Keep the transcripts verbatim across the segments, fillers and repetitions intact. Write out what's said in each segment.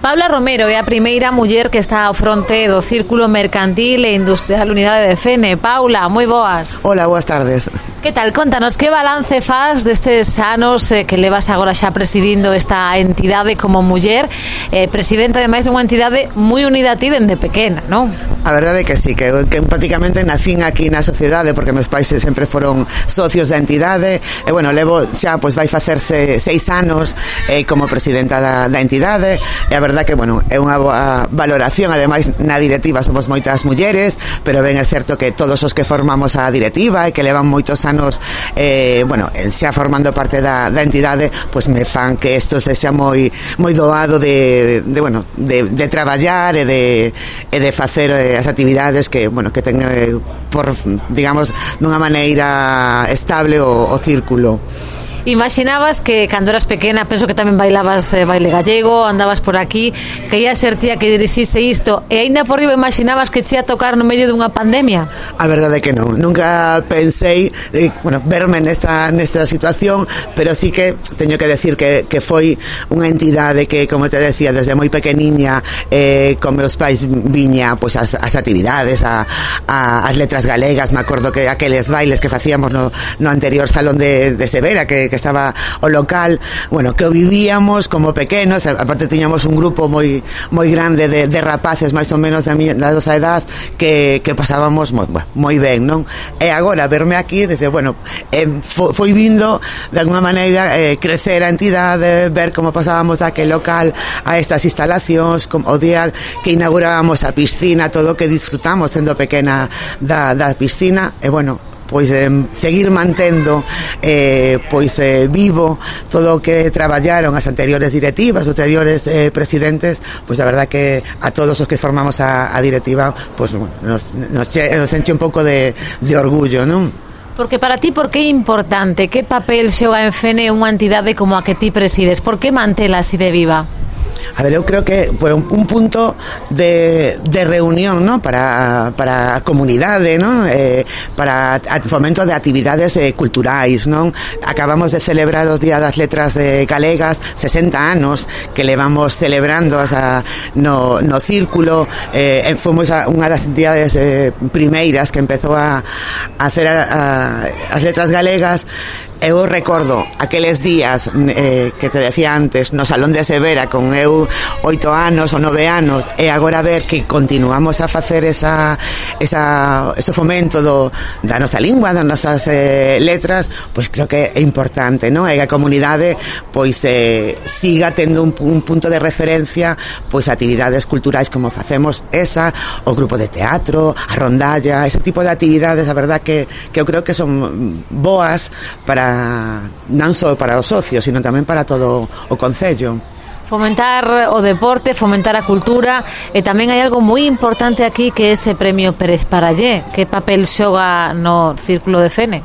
Paula Romero é a primeira muller que está ao fronte do Círculo Mercantil e Industrial Unidade de Fene. Paula, moi boas. Hola, boas tardes. Que tal? Contanos, que balance faz destes anos eh, que levas agora xa presidindo esta entidade como muller, eh, presidenta ademais dunha entidade moi unida a ti dende pequena, non? A verdade é que sí, que, que prácticamente nacín aquí na sociedade porque meus pais sempre foron socios da entidade e, bueno, levo xa, pois vai facerse seis anos eh, como presidenta da, da entidade e a verdade que, bueno, é unha boa valoración. Ademais, na directiva somos moitas mulleres, pero ben é certo que todos os que formamos a directiva e que levan moitos anos eh, bueno, xa formando parte da, da entidade, pois me fan que isto sexa moi moi doado de, de bueno, de, de traballar e de, e de facer eh, as actividades que, bueno, que ten eh, por, digamos, dunha maneira estable o, o círculo. Imaginabas que cando eras pequena, penso que tamén bailabas eh, baile gallego, andabas por aquí, que ia ser tía que dirixise isto, e aínda por riba imaginabas que te ia tocar no medio dunha pandemia? A verdade é que non, nunca pensei eh, bueno, verme nesta, nesta situación, pero sí que teño que decir que, que foi unha entidade que, como te decía, desde moi pequeniña eh, con meus pais viña pois, as, as actividades, a, a, as letras galegas. Me acordo que aqueles bailes que facíamos no, no anterior salón de, de Severa, que que estaba o local, bueno, que o vivíamos como pequenos. Aparte tiñamos un grupo moi moi grande de, de rapaces máis ou menos da, mi, da nosa edad que, que pasábamos moi, moi ben, non? E agora verme aquí, dice, bueno, eh, foi vindo de alguma maneira eh, crecer a entidade, ver como pasábamos daquel local a estas instalacións, como o día que inaugurábamos a piscina, todo o que disfrutamos sendo pequena da, da piscina, e bueno, pois eh, seguir mantendo eh, pois eh, vivo todo o que traballaron as anteriores directivas, os anteriores eh, presidentes. Pois a verdad que a todos os que formamos a, a directiva, pois nos, nos, nos enche un pouco de, de orgullo, non? Porque para ti, por que é importante? Que papel xoga en Fene unha entidade como a que ti presides? Por que mantela así de viva? A ver, eu creo que por un, un punto de, de reunión, ¿no? Para, para a comunidade, ¿no? Eh, para a fomento de actividades eh, culturais, ¿no? Acabamos de celebrar os Días das Letras eh, Galegas, sesenta anos que levamos celebrando asa, no, no círculo. Eh, fomos a, unha das entidades eh, primeiras que empezou a, a hacer a, a, as letras galegas. Eu recordo aqueles días eh, que te decía antes no Salón de Severa con eu oito anos ou nove anos, e agora ver que continuamos a facer esa, esa, ese fomento do, da nosa lingua, das nosas eh, letras, pois creo que é importante, non? E a comunidade pois eh, siga tendo un, un punto de referencia, pois actividades culturais como facemos esa, o grupo de teatro, a rondalla, ese tipo de actividades, a verdad que, que eu creo que son boas para non só para os socios, sino tamén para todo o concello. Fomentar o deporte, fomentar a cultura, e tamén hai algo moi importante aquí que é ese premio Pérez Parallé. Que papel xoga no Círculo de Fene?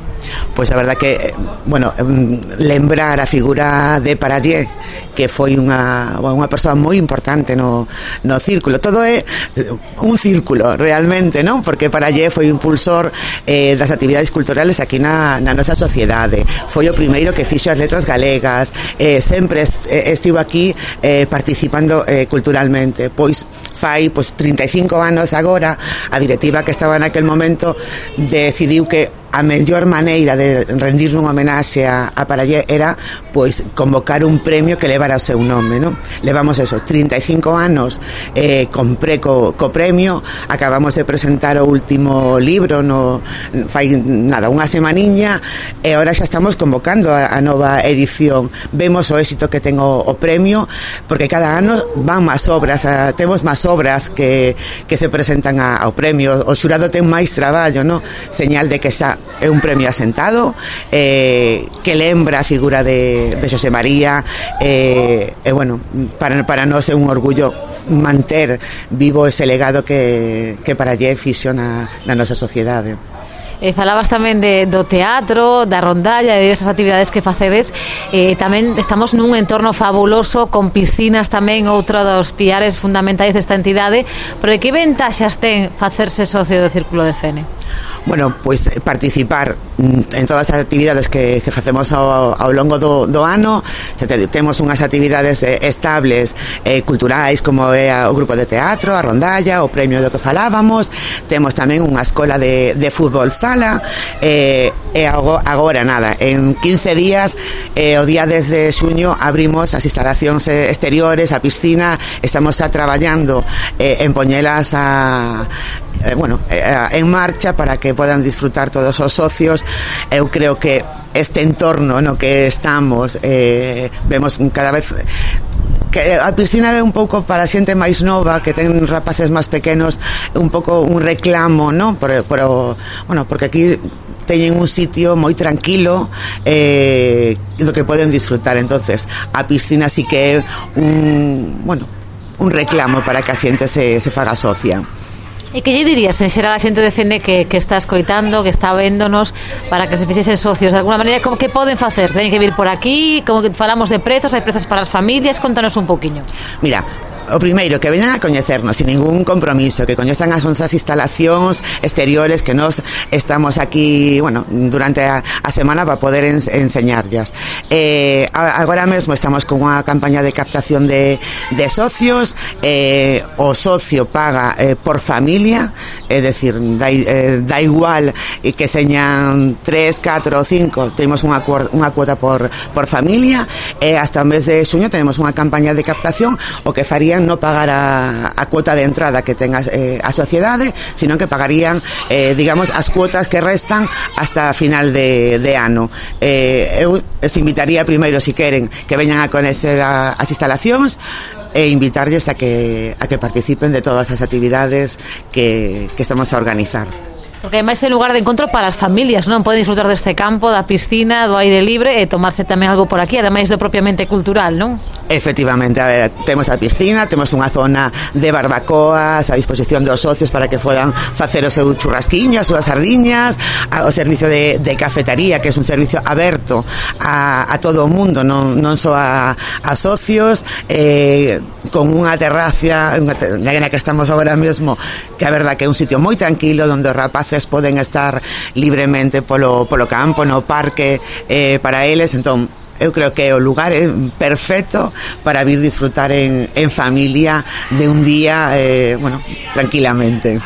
Pois a verdad que, bueno, lembrar a figura de Parallé, que foi unha, unha persoa moi importante no, no círculo. Todo é un círculo realmente, non? Porque Parallé foi impulsor eh, das actividades culturales aquí na, na nosa sociedade. Foi o primeiro que fixo as letras galegas, eh, sempre est, eh, estivo aquí eh, participando eh, culturalmente. Pois fai pois, trinta e cinco anos agora, a directiva que estaba naquel momento decidiu que a mellor maneira de rendir unha homenaxe a, a Parallé era pois convocar un premio que levara o seu nome, non? Levamos eso, trinta e cinco anos eh, compré co, co premio, acabamos de presentar o último libro no, fai nada, unha semaniña, e agora xa estamos convocando a, a nova edición. Vemos o éxito que ten o, o premio, porque cada ano van máis obras, a, temos máis obras que, que se presentan a, ao premio. O xurado ten máis traballo, non? Señal de que xa é un premio asentado, eh, que lembra a figura de, de Xosé María, e eh, eh, bueno, para, para nós é un orgullo manter vivo ese legado que, que Parallé fixo na, na nosa sociedade. Eh, falabas tamén de, do teatro, da rondalla, de diversas actividades que facedes. Eh, tamén estamos nun entorno fabuloso, con piscinas tamén, outro dos piares fundamentais desta entidade. Pero que ventaxas ten facerse socio do Círculo de Fene? Bueno, pois pues, participar en todas as actividades que, que facemos ao, ao longo do, do ano. Temos unhas actividades eh, estables eh, culturais, como é o grupo de teatro, a rondalla, o premio do que falábamos. Temos tamén unha escola de, de fútbol sala, eh, e agora nada, en quince días, eh, o día dez de xuño abrimos as instalacións exteriores, a piscina. Estamos xa traballando eh, en poñelas a Eh, bueno, eh, en marcha para que podan disfrutar todos os socios. Eu creo que este entorno no que estamos, eh, vemos cada vez que a piscina é un pouco para a xente máis nova, que ten rapaces máis pequenos, un pouco un reclamo, ¿no? Por, por, bueno, porque aquí teñen un sitio moi tranquilo, eh, do que poden disfrutar. Entonces a piscina sí que é un, bueno, un reclamo para que a xente se, se faga socia. E que lle dirías en xeral a xente defende que, que está escoitando, que está véndonos, para que se fixesen socios? De alguna maneira, como que poden facer? Teñen que vir por aquí? Como que falamos de prezos, hai prezos para as familias? Contanos un pouquiño. Mira, o primeiro, que veñan a coñecernos sin ningún compromiso, que coñezan as nosas instalacións exteriores, que nos estamos aquí, bueno, durante a, a semana para poder en, enseñarllas. Eh, agora mesmo estamos con unha campaña de captación de, de socios. Eh, o socio paga eh, por familia, é dicir, da, eh, da igual que señan tres, catro ou cinco, temos unha, unha cuota por, por familia. E eh, hasta o mes de xuño tenemos unha campaña de captación, o que farían no pagar a, a cuota de entrada que tenga eh, a sociedade, sino que pagarían, eh, digamos, as cuotas que restan hasta final de, de ano. Eh, eu os invitaría primeiro, si queren, que veñan a conocer a, as instalacións, e invitarlles a que, a que participen de todas as actividades que, que estamos a organizar. Porque ademais é lugar de encontro para as familias, non? Poden disfrutar deste campo, da piscina, do aire libre, e tomarse tamén algo por aquí, ademais do propiamente cultural, non? Efectivamente, a ver, temos a piscina, temos unha zona de barbacoas a disposición dos socios para que podan facer o seu churrasquiño, as súas sardiñas, o servicio de, de cafetaría, que é un servicio aberto a, a todo o mundo, non, non só a, a socios, eh, con unha terraza na que estamos agora mesmo, que a verdad que é un sitio moi tranquilo, onde os rapaces poden estar libremente polo, polo campo, no parque, eh, para eles. Entón, eu creo que o lugar é perfecto para vir disfrutar en, en familia de un día, eh, bueno, tranquilamente.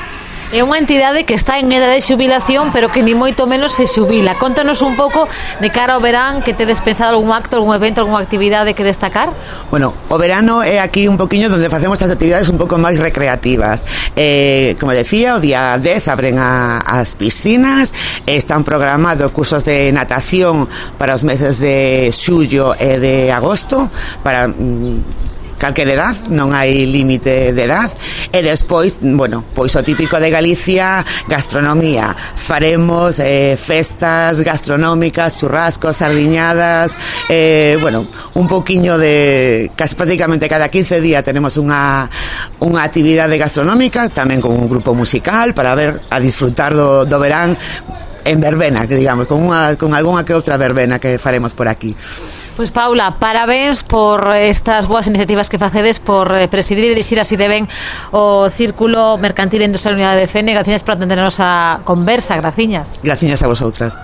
É unha entidade que está en edade de xubilación, pero que ni moito menos se xubila. Contanos un pouco de cara ao verán, que tedes pensado algún acto, algún evento, algunha actividade que destacar? Bueno, o verano é aquí un poquinho donde facemos as actividades un pouco máis recreativas. Eh, como decía, o día dez abren a, as piscinas, están programados cursos de natación para os meses de xullo e de agosto, para mm, calquer edad, non hai límite de edad. E despois, bueno, pois o típico de Galicia, gastronomía. Faremos eh, festas gastronómicas, churrascos, sardiñadas, eh, bueno, un poquinho de, casi prácticamente cada quince días tenemos unha unha actividade gastronómica, tamén con un grupo musical para ver, a disfrutar do, do verán en verbena, que digamos, con unha con algunha que outra verbena que faremos por aquí. Pois Paula, parabéns por estas boas iniciativas que facedes, por eh, presidir e dirixir así de ben o Círculo Mercantil e Industrial Unidade de Fene. Gracias por atendernos a conversa, graciñas. Graciñas a vosotras.